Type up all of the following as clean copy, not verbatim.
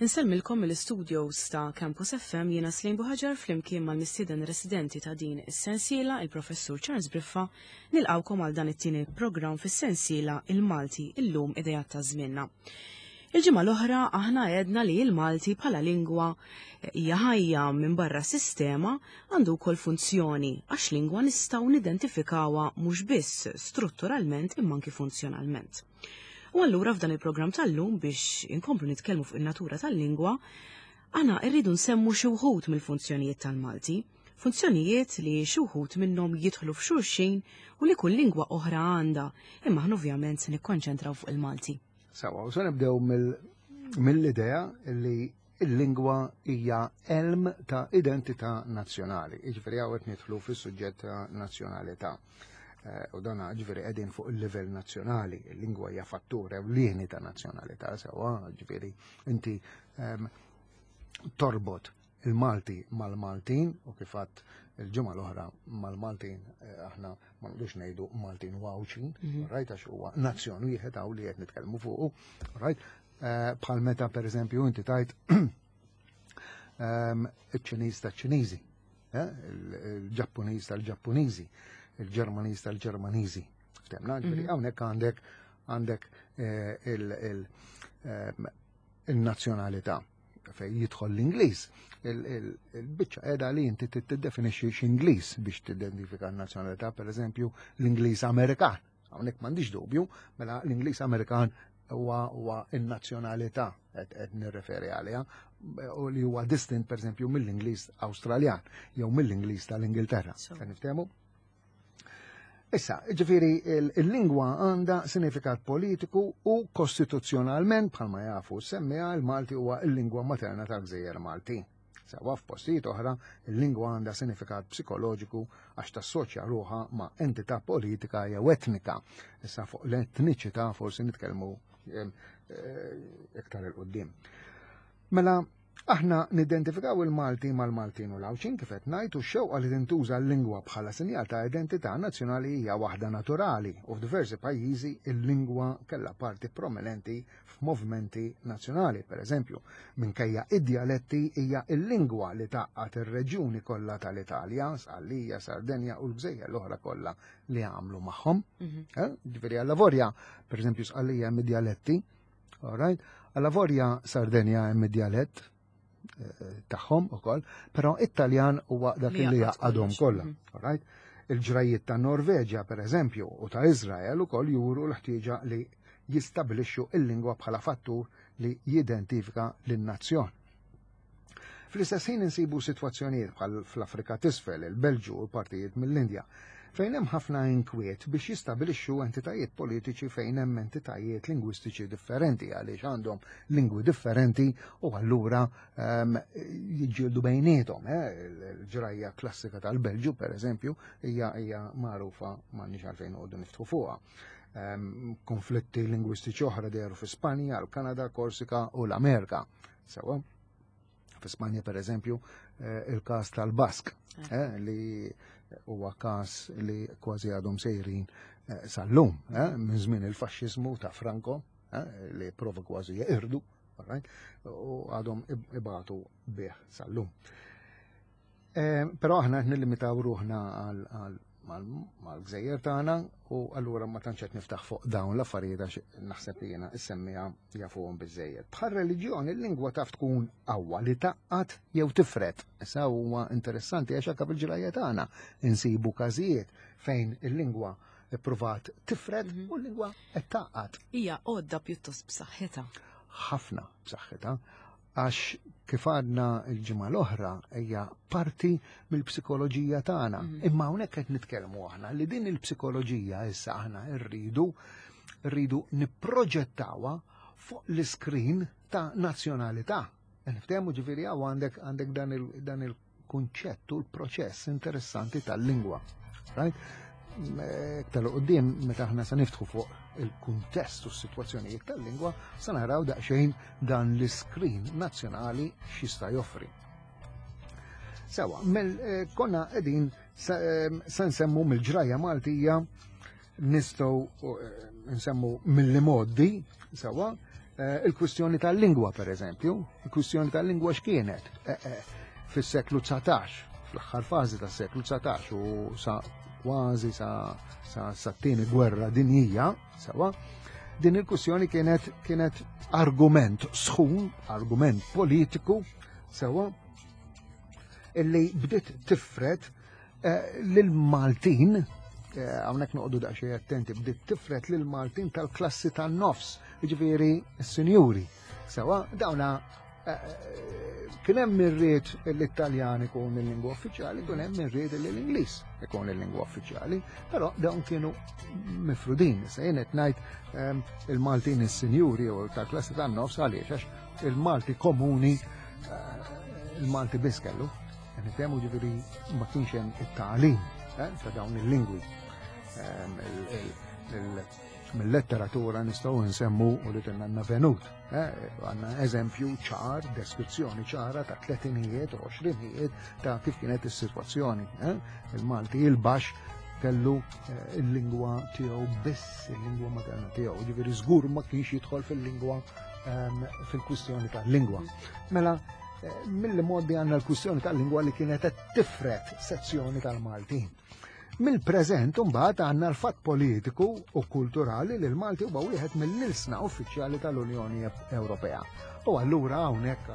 Insellmilkom mill-istudios ta' Campus FM jiena Slejn Buħaġar flimkien mal-mistieden residenti ta' din is-sensiela il-Professur Charles Briffa nilqawkom għal dan it-tieni programm fis-sensiela Il-Malti illum idejat ta' żmienna. Il-ġimgħa l-oħra aħna għedna li l-Malti bħala lingwa hija ħajja minn barra sistema għandu wkoll funzjoni għax lingwa nistgħu nidentifikawha mhux biss strutturalment imma anki funzjonalment. U allura f'dan il-programm tal-lum biex inkomplu nitkellmu fuq in-natura tal-lingwa, aħna rridu nsemmu xi wħud mill-funzjonijiet tal-Malti, funzjonijiet li xi wħud minnhom jidħlu f'xulxin u li kull lingwa oħra għandha, imma aħna ovvjament se nikkonċentraw fuq il-Malti. Sawa, u se nibdew mill-idea li il-lingwa hija elm ta' identità nazzjonali. Jiġifieri hawn qed nidħlu fis-suġġett ta' nazzjonalità. Eh, u dana ġifieri qegħdin fuq il-livell nazzjonali, il-lingwa hija fattur ewlieni ta' nazzjonalità sewwa, ġifieri inti ehm, torbot il-Malti mal-Maltin u kif għadt il-ġimgħa l-oħra mal-Maltin eh, aħna ma nqdux ngħidu Maltin u Għawdxin, mhm. right għax huwa nazzjon wieħed hawn li qed nitkellmu fuqu, right? Eh, bħal meta per eżempju inti tajt ehm, iċ-Ċiniż taċ-Ċiniżi, eh, il-Ġappuniż tal-Ġappuniżi, il-Ġermaniż tal-Ġermaniżi. Ftemna, ġifieri mhm. hawnhekk għandek għandek eh, ehm, il-nazzjonalità fej jidħol l-Ingliż. Il-biċċa qiegħda li inti tiddefinixxi x'Ingliż biex tidentifika n-nazzjonalità, per eżempju, l-Ingliż Amerikan. Hawnhekk m'għandix dubju, mela l-Ingliż Amerikan huwa huwa n-nazzjonalità qed nirreferi għaliha u li huwa distint pereżempju mill-Ingliż Awstraljan jew mill-Ingliż tal-Ingilterra. Se niftehmu? Issa, ġifiri, il-lingwa għandha sinifikat politiku u kostituzzjonalment bħalma jafu semmija il-Malti huwa il-lingwa materna tal-Gżejjer Maltin. Sewwa f'postijiet oħra, il-lingwa għandha sinifikat psikoloġiku għax tassoċja ruħha ma' entità politika jew etnika. Issa fuq l-etniċità forsi nitkellmu eh, iktar il-qoddim. Mela, aħna nidentifikaw il-Malti mal-Maltin u l-Għawdxin kif qed ngħid u x-xewqa li tintuża l-lingwa bħala sinjal ta' identità nazzjonali hija waħda naturali u f'diversi pajjiżi il-lingwa kellha parti prominenti f'movimenti nazzjonali, per eżempju, minkejja id-djaletti hija l-lingwa li tgħaqqad ir-reġjuni kollha tal-Italja, Sqallija, Sardenja u l-gżejjer l-oħra kollha li għamlu magħhom. Mhm. Eh, ġifieri għalla vorja, per eżempju, Sqallija hemm id-djaletti, all right? Għalla vorja Sardenja hemm id-djalett eh, tagħhom ukoll, però it-Taljan huwa dak li jgħaqqadhom kollha, mhm. all right? Il-ġrajiet ta' Norveġja, per eżempju, u ta' Izrael ukoll juru l-ħtieġa li jistabilixxu il-lingwa bħala fattur li jidentifika lin-nazzjon. Fl-istess ħin insibu sitwazzjonijiet bħal fl-Afrika t'Isfel, il-Belġu u partijiet mill-Indja, fejn hemm ħafna inkwiet biex jistabilixxu entitajiet politiċi fejn hemm entitajiet lingwistiċi differenti għaliex għandhom lingwi differenti u allura um, jiġġieldu bejniethom. Eh? Il-ġrajja klassika tal-Belġu, per eżempju, hija hija magħrufa m'għandniex għalfejn noqogħdu niftħu fuqha. Um, konflitti lingwistiċi oħra dehru fi Spanja, l-Kanada, Korsika u l-Amerika. Sewa. Fi Spanja, per eżempju, eh, il-każ tal-Bask, eh. eh, li huwa każ li kważi għadhom sejrin sal-lum, minn żmien il-faxxiżmu ta' Franco, li prova kważi jeqirdu, u għadhom ibatu bih sal-lum. Eh, però aħna qed nillimitaw ruħna mal-gżejjer tagħna u allura ma tantx qed niftaħ fuq dawn l-affarijiet għax naħseb li jiena issemmija jafuhom biżejjed. Bħal reliġjon il-lingwa taf tkun qawwa li taqqat jew tifret. Issa huwa interessanti għax anke fil-ġrajja tagħna insibu każijiet fejn il-lingwa ippruvat tifred mhm. u l-lingwa qed taqqat. Hija għodda pjuttost b'saħħitha. Ħafna b'saħħitha għax kif għadna l-ġimgħa l-oħra hija parti mill-psikoloġija tagħna. Mhm. Imma hawnhekk qed nitkellmu aħna li din il-psikoloġija issa aħna rridu rridu nipproġettawha fuq l-iskrin ta' nazzjonalità. Niftehmu ġifieri għandek għandek dan il kunċett u l-proċess interessanti tal-lingwa. Right? Iktar qudiem meta aħna se niftħu fuq il-kuntest u s-sitwazzjonijiet tal-lingwa, se naraw daqsxejn dan l-iskrin nazzjonali x'jista' joffri. Sewa, eh, konna qegħdin eh, se nsemmu mill-ġrajja Maltija nistgħu eh, nsemmu mill-modi, sewa, Il-kwistjoni tal-lingwa, per eżempju, il-kwistjoni tal-lingwa x'kienet fis-seklu 19, fl-aħħar fażi tas-seklu 19 u sa kważi sa sa sa tieni gwerra dinjija, sewa, din il-kwistjoni kienet kienet argument sħun, argument politiku, sewa, illi bdiet tifred Lil-Maltin, hawnhekk noqogħdu daqsxejn attenti, bdiet tifred lil-Maltin tal-klassi tan-nofs, jiġifieri s-sinjuri. Sewa, dawna kien hemm min ried l-Italjan ikun il-lingwa uffiċjali, kien hemm min ried li l-Ingliż ikun il-lingwa uffiċjali, però dawn kienu mifrudin. Se jien qed ngħid il-Maltin is-sinjuri u tal-klassi tan-nofs għaliex għax il-Malti komuni il-Malti biss kellu. Nifhemu ġifieri ma kienx hemm it-tagħlim ta' dawn il-lingwi. Mill-letteratura nistgħu nsemmu u li għandna venut. Għandna eżempju ċar, deskrizzjoni ċara ta' tletinijiet u għoxrinijiet ta' kif kienet is-sitwazzjoni. Il-Malti il-baxx kellu il-lingwa tiegħu biss, il-lingwa materna tiegħu, ġifieri żgur ma kienx jidħol fil-lingwa fil-kwistjoni tal-lingwa. Mela, mill modi għandna l-kwistjoni tal-lingwa li kienet qed tifret sezzjoni tal-Maltin. Mill-preżent imbagħad għandna l-fatt politiku u kulturali li l-Malti huwa wieħed mill-ilsna uffiċjali tal-Unjoni Ewropea. U allura hawnhekk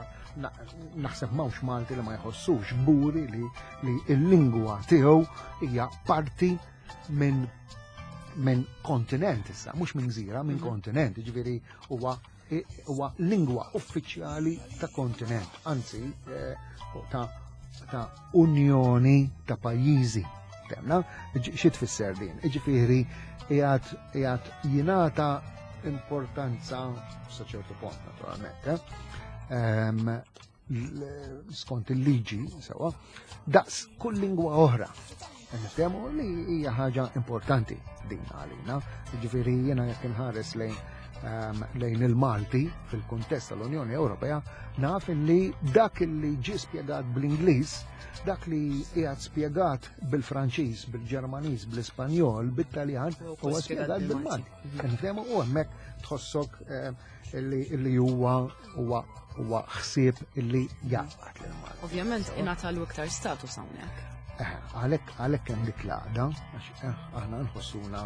naħseb m'hawnx Malti li ma jħossux kburi li l-lingwa tiegħu hija parti minn minn kontinent issa, mhux minn gżira, minn kontinent, ġifieri huwa huwa lingwa uffiċjali ta' kontinent, anzi ta' ta' unjoni ta' pajjiżi. Temna, xi tfisser din? Ġifieri qiegħed jingħata importanza sa ċertu punt naturalment, skont il-liġi sewa, daqs kull lingwa oħra. Niftehmu li hija ħaġa importanti din għalina. Ġifieri jiena jekk inħares lejn il-Malti fil-kuntest tal-Unjoni Ewropea, naf li dak li ġie spjegat bl-Ingliż, dak li qiegħed spjegat bil-Franċiż, bil-Ġermaniż, bl-Ispanjol, bit-Taljan, huwa spjegat bil-Malti. Niftehmu u hemmhekk tħossok illi huwa huwa huwa ħsieb illi jaqgħad lil Malti. Ovvjament ingħatalu iktar status hawnhekk. Għalhekk hemm dik l-għaqda, għax aħna nħossuna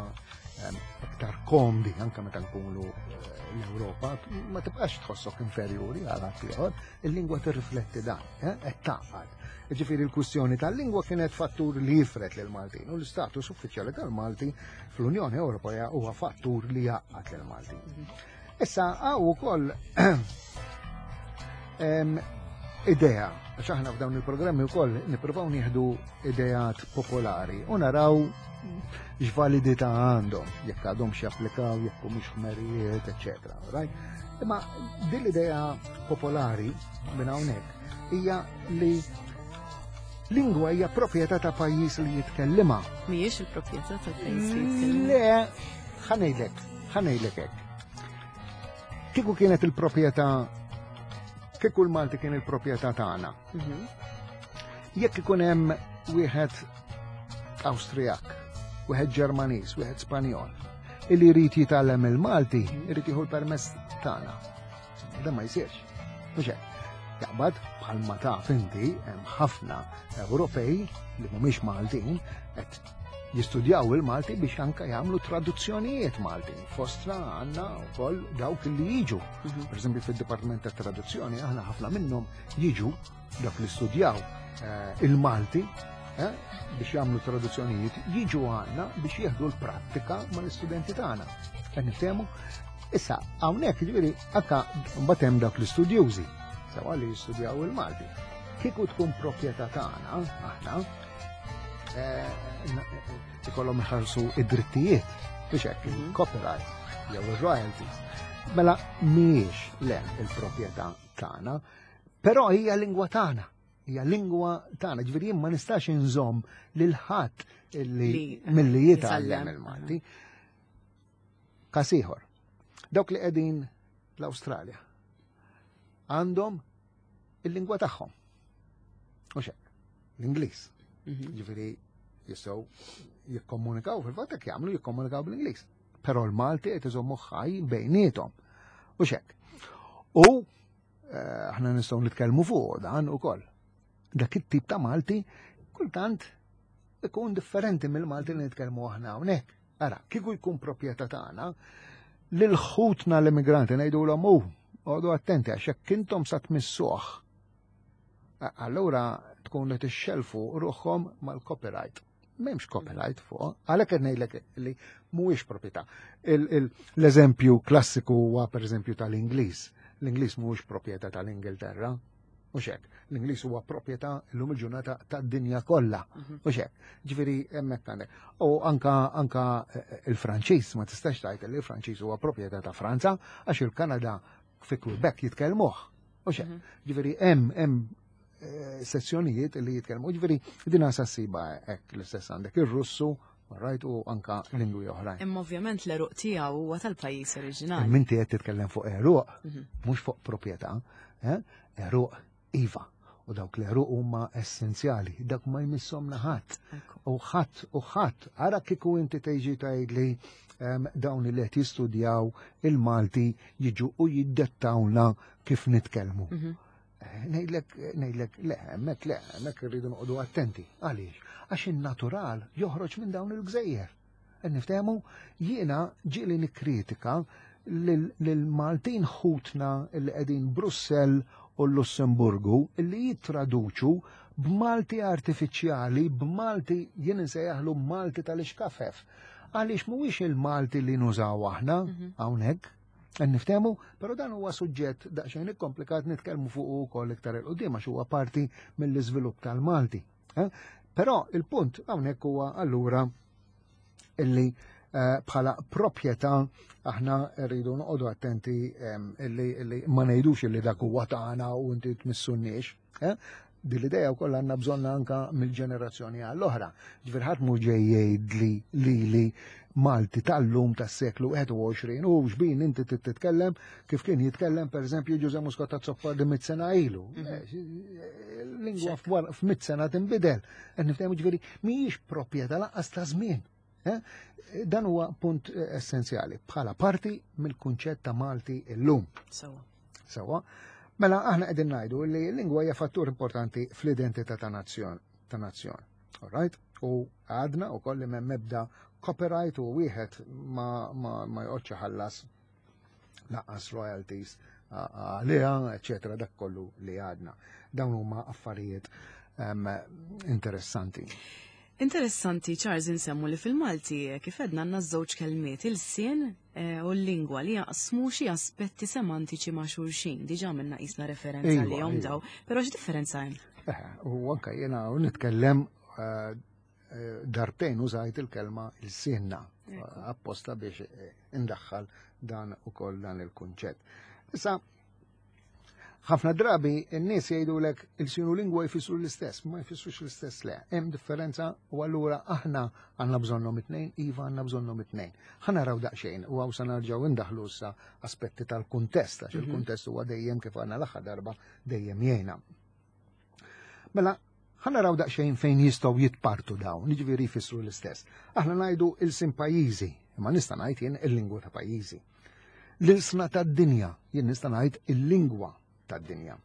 iktar komdi anke meta nkunu l-Ewropa, ma tibqax tħossok inferjuri għal ħadd ieħor, il-lingwa tirrifletti dan, qed tgħaqqad. Ġifieri l-kwistjoni tal-lingwa kienet fattur li jifred lil Maltin u l-istatus uffiċjali tal-Malti fl-Unjoni Ewropea huwa fattur li jgħaqqad lil Maltin. Issa hawn ukoll idea, għax aħna f'dawn il-programmi wkoll nippruvaw nieħdu ideat popolari u naraw x'validità għandhom, jekk għadhom x'japplikaw, jekk humiex ħmerijiet, eċċetera. Right? Imma din l-idea popolari minn hawnhekk hija li lingwa hija proprjetà ta' pajjiż li jitkellimha. Mhijiex il-proprjetà ta' pajjiż li jitkellimha. Le, ħa ngħidlek hekk. Kieku kienet il-proprjetà, kieku l-Malti kien il-proprjetà tagħna. Jekk ikun hemm wieħed Awstrijak, wieħed Ġermaniż, wieħed Spanjol, illi jrid jitgħallem il-Malti, irid jieħu l-permess tagħna. Dan ma jsirx. Mhux hekk. Jaqbad bħalma taf inti hemm ħafna Ewropej li mhumiex Maltin qed jistudjaw il-Malti biex anka jagħmlu traduzzjonijiet Maltin. Fostna għandna wkoll dawk li jiġu. Per eżempju fid-Dipartiment tat Traduzzjoni aħna ħafna minnhom jiġu dak li studjaw il-Malti biex jagħmlu traduzzjonijiet, jiġu għandna biex jieħdu l-prattika mal-istudenti tagħna. Qed niftehmu? Issa hawnhekk jiġifieri anka mbagħad hemm dawk l-istudjużi sewa li jistudjaw il-Malti. Kieku tkun proprjetà tagħna aħna ikollhom iħallsu id-drittijiet biex hekk il-copyright jew ir-royalties. Mela mhijiex le il-proprjetà tagħna, però hija lingwa tagħna. Hija lingwa tagħna, ġifieri jien ma nistax inżomm lil ħadd illi milli jitgħallem il-Malti. Każ ieħor. Dawk li qegħdin l-Awstralja għandhom il-lingwa tagħhom. U xek, l-Ingliż. Ġifieri jistgħu jikkomunikaw fil-fatt hekk jagħmlu jikkomunikaw bl-Ingliż. Però l-Malti qed iżommu ħaj bejniethom. U xek. U eh, aħna nistgħu nitkellmu fuq dan ukoll. Dak it-tip ta' Malti kultant ikun differenti mill-Malti li nitkellmu aħna hawnhekk. Ara, kieku jkun proprjetà tagħna, lil ħutna l-immigranti ngħidulhom hu, għodu attenti għax jekk intom sa tmissuh, allura tkun li tixxelfu ruħhom mal-copyright. M'hemmx copyright fuq, għalhekk qed ngħidlek li mhuwiex proprjetà. L-eżempju klassiku huwa pereżempju tal-Ingliż. L-Ingliż mhuwiex proprjetà tal-Ingilterra, Mhux hekk. L-Ingliż huwa proprjetà llum il-ġurnata tad-dinja kollha. Mhux hekk. Ġifieri hemmhekk għandek. U anka anka eh, eh, il-Franċiż ma tistax tgħid li l-Franċiż huwa proprjetà ta' Franza għax il-Kanada fi Quebec jitkellmuh. Mhux hekk. Ġifieri hemm hemm eh, sezzjonijiet li jitkellmu. Ġifieri din sa ssiba hekk l-istess għandek ir-Russu, right, u anka lingwi oħrajn. Imma ovvjament l-eruq tiegħu huwa tal-pajjiż oriġinali. Minti qed titkellem fuq eruq, mhux fuq proprjetà, eh? Eruq iva. U dawk l-eruq huma essenzjali, dak ma jmisshomna ħadd. U ħadd u ħadd, ara kieku inti tgħiġi tgħidli dawn li qed jistudjaw il-Malti jiġu u jiddettawna kif nitkellmu. Eh, ngħidlek, ngħidlek, le, hemmhekk le, hemmhekk irridu noqogħdu attenti. Għaliex? Għax in-natural joħroġ minn dawn il-gżejjer. Qed niftehmu, jiena ġieli nikkritika lil-Maltin ħutna li qegħdin Brussell u l-Lussemburgu li jittraduċu b'Malti artifiċjali, b'Malti jien insejjaħlu Malti tal-ixkafef. Għaliex mhuwiex il-Malti li nużaw aħna hawnhekk, qed niftehmu, però dan huwa suġġett daqsxejn ikkomplikat nitkellmu fuq ukoll iktar 'il quddiem għax huwa parti mill-iżvilupp tal-Malti. Eh? Però il-punt hawnhekk huwa allura illi eh, bħala proprjetà aħna rridu noqogħdu attenti illi, illi ma ngħidux illi dak huwa tagħna u inti tmissunniex. Eh? Din l-idea wkoll għandna bżonn anka mill-ġenerazzjoni għall-oħra. Ġifier ħadd mhu ġej jgħidli lili Malti tal-lum tas-seklu 21 u xbin inti titkellem kif kien jitkellem pereżempju Ġuże Muscat Azzopardi mit sena ilu. Eh, lingwa f'mit sena tinbidel. Qed niftehmu ġifieri mhijiex proprjetà lanqas ta' żmien. Eh? Dan huwa punt eh, essenzjali bħala parti mill-kunċett ta' Malti illum. Sewa. Sewa. Mela aħna qegħdin ngħidu li l-lingwa hija fattur importanti fl-identità ta' nazzjon. Ta' nazzjon. All right? U għadna u kolli m'hemm ebda copyright u wieħed ma, ma, ma joqgħodx iħallas naqqas royalties għaliha, eċetera, dak kollu li għadna. Dawn huma affarijiet interessanti. Interessanti, Charles, insemmu li fil-Malti eh, kif edna għandna żewġ kelmiet il-sien eh, u l-lingwa li jaqsmu xi aspetti semantiċi ma' xulxin. Diġà minna qisna referenza iva, li jom iva. daw, però x'differenza hemm? Eh, u anka jiena nitkellem darbtejn użajt il-kelma il-sinna apposta biex eh, indaħħal dan ukoll dan il-kunċett. Issa, ħafna drabi n-nies jgħidulek il-sinu lingwa jfissru l-istess, ma jfissrux l-istess le. Hemm differenza u allura aħna għandna bżonnhom it-tnejn, iva għandna bżonnhom it-tnejn. Ħa naraw daqsxejn u hawn sa narġgħu indaħlu issa aspetti tal-kuntest għax mhm. il-kuntest huwa dejjem kif għandna l-aħħar darba dejjem jgħinna. Mela, ħa naraw daqsxejn fejn jistgħu jitpartu dawn, jiġifieri jfissru l-istess. Aħna ngħidu il-sin pajjiżi, imma nista' ngħid jien il-lingwa ta' pajjiżi. L-ilsna tad-dinja, jien nista' ngħid il-lingwa tad-dinja.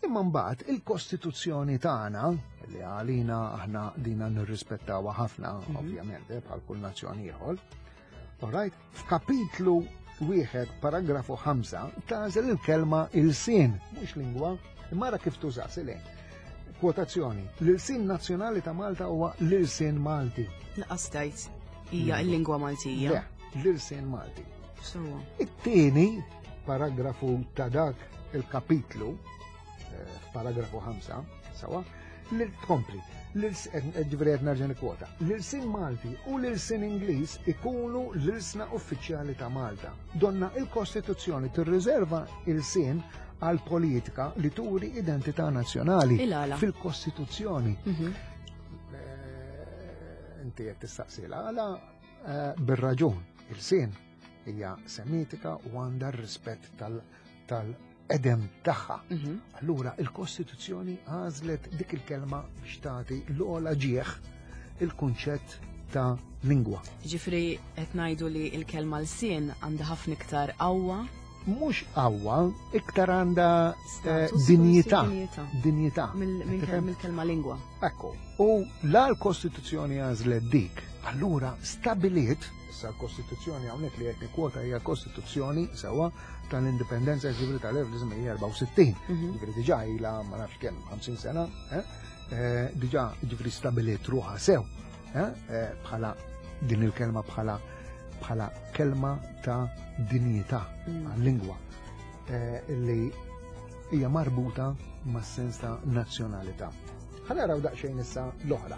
Imma mbagħad il-Kostituzzjoni tagħna, li għalina aħna dina nirrispettawha ħafna, mhm. ovvjament, eh, bħal kull nazzjon ieħor, Alright, f'kapitlu wieħed paragrafu 5 tagħżel il-kelma ilsien, mhux lingwa, imma ara kif tuża silejn. Kwotazzjoni, l-ilsien nazzjonali ta' Malta huwa l-ilsien Malti. Laqas hija l-lingwa Maltija. Le, l-ilsien Malti. It-tieni paragrafu ta' dak il-kapitlu, eh, f'paragrafu 5, sawa, li tkompli, ġifieri qed nerġa' nikkwota, l-ilsien Malti u l-ilsien Ingliż ikunu l-ilsna uffiċjali ta' Malta. Donna il-Kostituzzjoni tirriserva ilsien għal politika li turi identità nazzjonali fil-Kostituzzjoni. Mhm. Eh, inti qed tistaqsi għala eh, bir-raġun il-sien hija semitika u għandha r-rispett tal edem tagħha. Mhm. Allura il-Kostituzzjoni għażlet dik il-kelma biex tagħti l-ogħla ġieħ il-kunċett ta' lingwa. Ġifri qed ngħidu li l-kelma lsien għandha ħafna iktar qawwa. Mhux qawwa, iktar għandha eh, dinjità. Dinjità. Mill-kelma lingwa. Ekku. U la l-Kostituzzjoni għażlet dik, allura stabiliet, issa l-Kostituzzjoni hawnhekk li qed nikkwota hija Kostituzzjoni sewwa tal-Indipendenza ġifieri tal-1964. Ġifieri diġà ilha ma nafx kemm 50 sena, eh? Eh, diġà ġifieri stabiliet ruħha sew eh, bħala din il-kelma bħala bħala kelma ta' dinjità għal-lingwa li hija marbuta mas-sens ta' nazzjonalità. Ħa naraw daqsxejn issa l-oħra.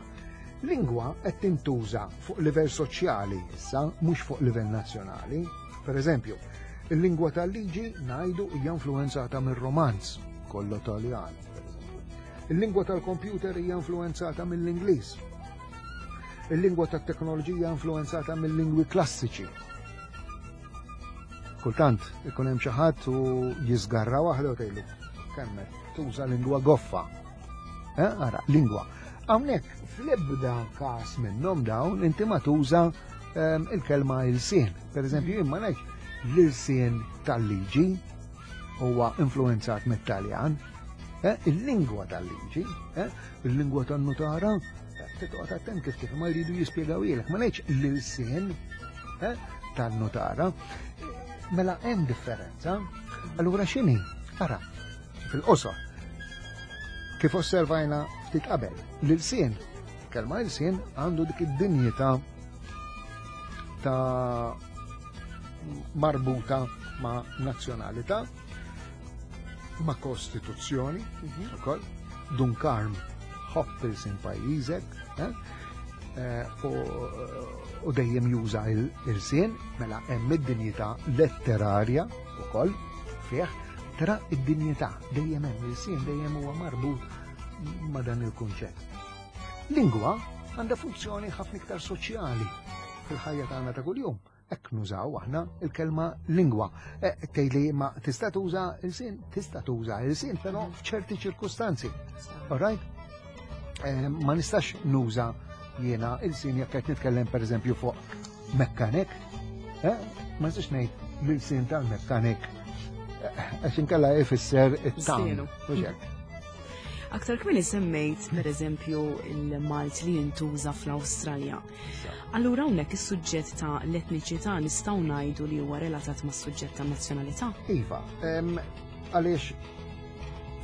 Lingwa qed tintuża fuq livell soċjali issa, mhux fuq livell nazzjonali. Per eżempju, il-lingwa tal-liġi ngħidu hija influenzata mir-Romanz, kollu Taljan. Il-lingwa tal-kompjuter hija influenzata mill-Ingliż. Il-lingwa tat-teknoloġija influenzata mill-lingwi klassiċi. Kultant ikun hemm xi ħadd u jiżgarra waħda u tgħidlu kemm tuża lingwa goffa. Eh, ara, lingwa. Hawnhekk fl-ebda każ minnhom dawn inti ma tuża il-kelma ilsien. Per eżempju, jien ma ngħidx l-ilsien tal-liġi huwa influenzat mit-Taljan, eh, il-lingwa tal-liġi, eh, il-lingwa tan-nutara, titqgħod attent kif kif ma jridu jispjegaw ilek, ma ngħidx l-ilsien eh, tan-nutara. Mela hemm differenza. Allura x'inhi? Ara, fil-qosor. Kif osservajna ftit qabel, l-ilsien, kelma ilsien għandu dik id-dinjità ta' marbuta ma' nazzjonalità, ma' kostituzzjoni, ukoll, Dun Karm ħobb ilsien pajjiżek, eh? Eh, u dejjem juża il-sien, mela hemm id-dinjità letterarja ukoll fih, tara id-dinjità dejjem hemm il-sien dejjem huwa marbut ma' dan il-kunċett. Lingwa għandha funzjoni ħafna iktar soċjali fil-ħajja tagħna ta' kuljum. Hekk nużaw aħna il-kelma lingwa. Eh, tgħidli ma tista' tuża il-sin, tista' tuża il-sin, però f'ċerti ċirkustanzi. All right? Eh, ma nistax nuża jiena il-sin jekk qed nitkellem pereżempju fuq mekkanik, eh, ma nistax ngħid l-sin tal-mekkanik għax inkella ifisser it-tam. Aktar kmieni semmejt pereżempju il-Malt li jintuża fl-Awstralja. Allura hawnhekk is-suġġett ta' l-etniċità nistgħu ngħidu li huwa relatat mas-suġġett ta' nazzjonalità? Iva, għaliex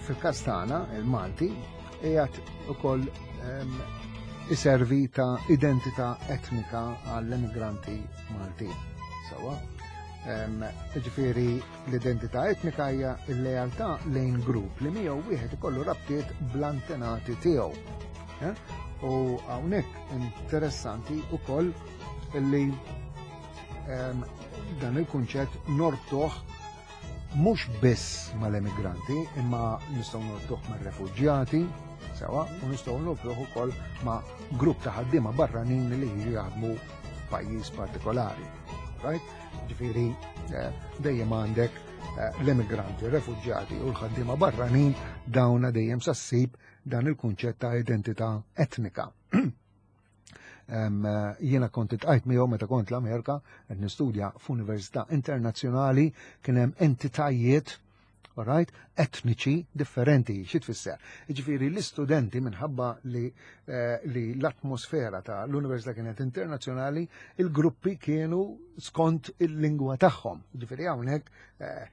fil-każ tagħna il-Malti qiegħed ukoll iservi ta' identità etnika għall-emigranti Maltin. Sawa? Ġifieri l-identità etnika hija l-lealtà lejn grupp li miegħu wieħed ikollu rabtiet bl-antenati tiegħu. Eh? U hawnhekk interessanti wkoll li dan il-kunċett norbtuh mhux biss mal-emigranti, imma nistgħu norbtuh mar-refuġjati, sewa, u nistgħu norbtuh ukoll ma' grupp ta' ħaddiema barranin li jiġu jaħdmu f'pajjiż partikolari. Right? Ġifieri eh, dejjem għandek eh, l-emigranti, refuġjati u l-ħaddiema barranin dawna dejjem sassib dan il-kunċett ta' identità etnika. Jiena kont itqajt miegħu meta kont l-Amerika qed nistudja f'università internazzjonali kien hemm entitajiet alright, etniċi differenti, xi tfisser? Jiġifieri l-istudenti minħabba li, eh, li l-atmosfera ta' l-università kienet internazzjonali, il-gruppi kienu skont il-lingwa tagħhom. Jiġifieri hawnhekk eh,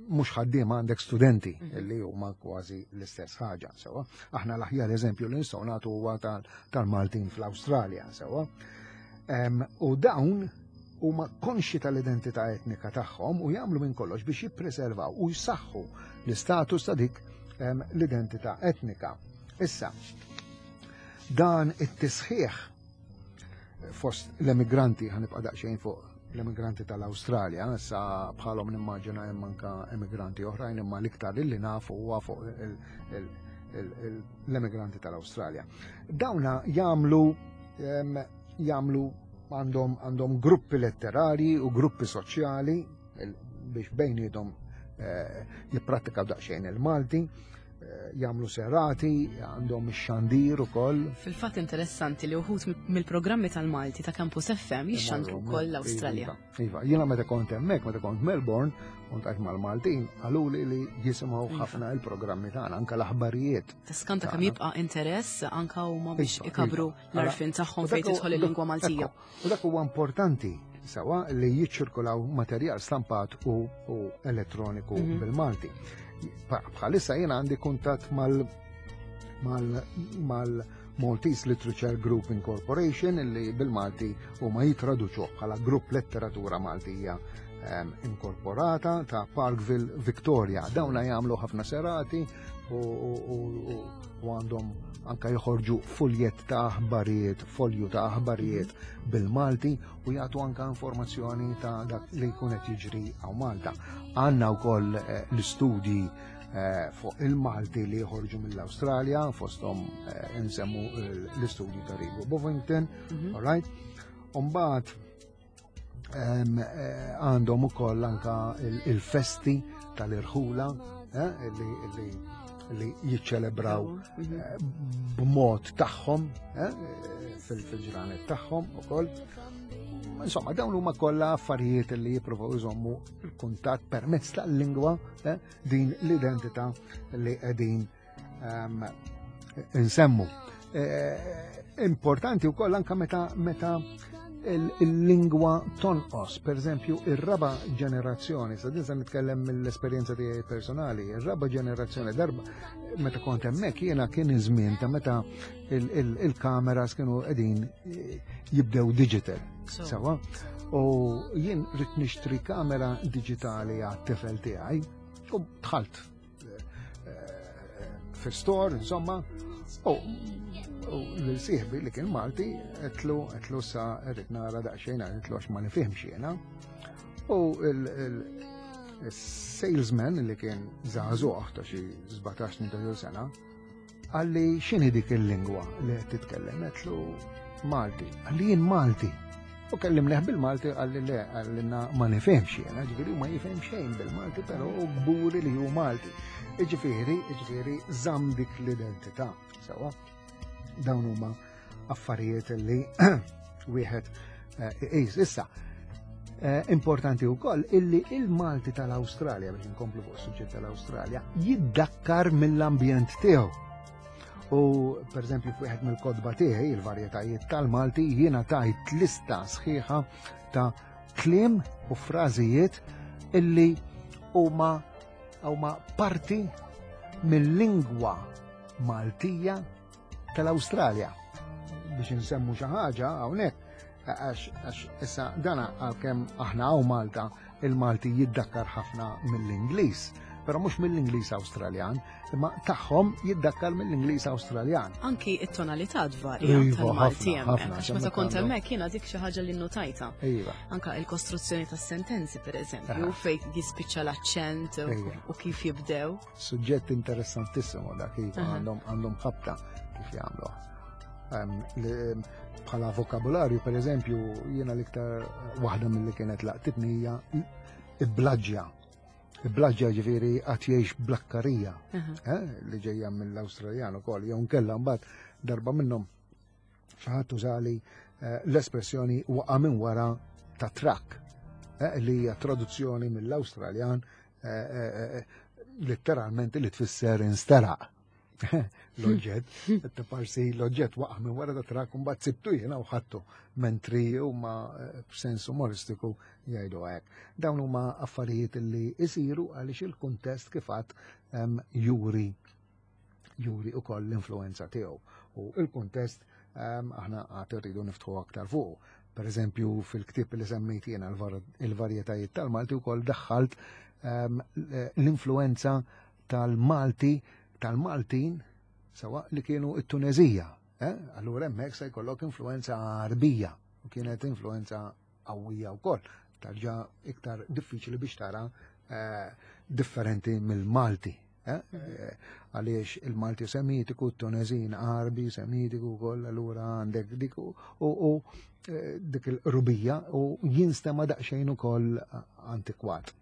mhux ħaddiema għandek studenti mhm. li huma kważi l-istess ħaġa, sewa. Aħna l-aħjar eżempju li nistgħu nagħtu huwa tal-Maltin fl-Awstralja, sewa. U dawn huma konxi tal-identità etnika tagħhom u jagħmlu minn kollox biex jippreservaw u jsaħħu l-istatus ta' dik l-identità etnika. Issa, dan it-tisħiħ fost l-emigranti, ħanibqa' daqsxejn fuq l-emigranti tal-Awstralja, issa bħalhom nimmaġina hemm anka emigranti oħrajn imma l-iktar li nafu huwa fuq l-emigranti tal-Awstralja. Dawna jagħmlu jagħmlu għandhom għandhom gruppi letterari u gruppi soċjali biex bejniethom eh, jipprattikaw daqsxejn il-Malti. jagħmlu serati, għandhom ix-xandir ukoll. Fil-fatt interessanti li uħut mill-programmi tal-Malti ta' Campus FM jixxandru wkoll l-Awstralja. Iva, iva, jiena meta kont hemmhekk, meta kont Melbourne, kont għajt mal-Maltin, qaluli li jisimgħu iva. ħafna il-programmi tagħna, anke l-aħbarijiet. Tiskanta kemm jibqa' interess anke huma biex iva, ikabru l-arfin tagħhom fejn tidħol il-lingwa Maltija. U dak huwa importanti sawa li jiċċirkolaw materjal stampat u, u elettroniku mm -hmm. bil-Malti. Bħalissa jiena għandi kuntatt mal mal mal Maltese Literature Group Incorporation illi bil-Malti u ma jitraduċuh bħala Grupp Letteratura Maltija ehm, Inkorporata ta' Parkville Victoria. Dawna jagħmlu ħafna serati u għandhom anka joħorġu fuljet ta' aħbarijiet, folju ta' aħbarijiet bil-Malti u jagħtu anka informazzjoni ta' dak li jkun qed jiġri hawn Malta. Għandna wkoll eh, l-istudji eh, fuq il-Malti li joħorġu mill-Awstralja, fosthom eh, insemmu l-istudji ta' Rigo Bovington, mhm. all right? Umbagħad Eh, għandhom ukoll anka il-festi tal-irħula eh, li jiċċelebraw mhm. eh, b'mod tagħhom fil-ġranet tagħhom ukoll. Insomma, dawn huma kollha affarijiet li jippruvaw iżommu l-kuntatt permezz tal-lingwa din l-identità li qegħdin ehm, insemmu. Eh, importanti wkoll anka meta meta il-lingwa tonqos, per eżempju, ir-raba ġenerazzjoni, sa dinsa nitkellem mill-esperjenza tiegħi personali, ir-raba ġenerazzjoni darba meta kont hemmhekk jiena kien iż-żmien ta' meta il-kameras kienu qegħdin eh, jibdew digital. Sawa? U jien rrid nixtri kamera digitali għat-tifel tiegħi u dħalt fi store, insomma, u l-sieħbi li kien Malti, għetlu, għetlu sa rrit nara daqxejn, għetlu għax ma nifhimx jiena. U il-salesman li kien zaħzuħ ta' xi 17 sena, Qalli x'inhi dik il-lingwa li qed titkellem? Għedtlu Malti. Qalli jien Malti. U kellimnieh bil-Malti qalli le, qalli ma nifhimx jiena, ġifieri ma jifhem xejn bil-Malti, però hu kburi li hu Malti. Jiġifieri, jiġifieri żamm dik l-identità. Sewwa, dawn huma affarijiet li wieħed eh, iqis. Issa, eh, importanti wkoll illi il-Malti tal-Awstralja biex inkomplu fuq suġġett tal-Awstralja jiddakkar mill-ambjent tiegħu. U per eżempju f'wieħed mill-kodba tiegħi il-varjetajiet tal-Malti jiena tajt lista sħiħa ta' kliem u frażijiet illi huma huma parti mill-lingwa Maltija tal-Awstralja. Biex insemmu xi ħaġa hawnhekk għax issa dana għalkemm aħna hawn Malta il-Malti jiddakkar ħafna mill-Ingliż, però mhux mill-Ingliż Awstraljan, imma tagħhom jiddakkar mill-Ingliż Awstraljan. Anki it-tonalità tvarja iva, tal-Malti hemmhekk, għax meta kont hemmhekk jiena dik xi ħaġa li nnotajta. Iva. Anka il-kostruzzjoni tas-sentenzi pereżempju, fejn jispiċċa l-aċċent iva. u kif jibdew. Suġġett interessantissimu dak iva għandhom għandhom ħabta kif jagħmlu. Bħala vokabularju, per eżempju, jiena l-iktar waħda mill-li kienet laqtitni hija iblaġġja. Iblaġġja ġifieri qatt jgħix blakkarija, eh, li ġejja mill-Awstraljan ukoll, jew nkella mbagħad darba minnhom Xi ħadd użali eh, l-espressjoni waqa' minn wara ta' trakk eh, li hija traduzzjoni mill-Awstraljan eh, letteralment li tfisser insteraq. l-oġġett, parsi l-oġġett waqa' minn wara ta' trakk u mbagħad sibtu jiena u ħadtu mentri huma b'sens umoristiku jgħidu hekk. Dawn huma affarijiet li jsiru għaliex il-kuntest kif għad juri juri ukoll l-influenza tiegħu. U il-kuntest ehm, aħna għad irridu niftħu aktar fuq. Per eżempju, fil-ktieb li semmejt jiena il-varjetajiet tal-Malti wkoll daħħalt ehm, l-influenza tal-Malti tal-Maltin sewa li kienu it-Tunezija. Eh? Allura hemmhekk se jkollok influenza Arbija u kienet influenza qawwija wkoll. Tarġa iktar diffiċli biex tara eh, differenti mill-Malti. Eh, eh, għaliex il-Malti semitiku, t-Tunezin Arbi semitiku wkoll allura għandek dik u dik il-rubija u jinstema daqsxejn ukoll antikwat.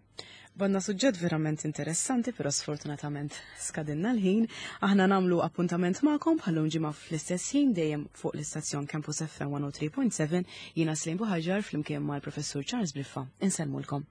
Banna suġġett verament interessanti, però sfortunatament skadinna l-ħin. Aħna nagħmlu appuntament magħkom bħallum ġimgħa fl-istess ħin dejjem fuq l-istazzjon Campus FM 103.7 jiena Slim Buħaġar flimkien mal-Professur Charles Briffa. Insellmulkom.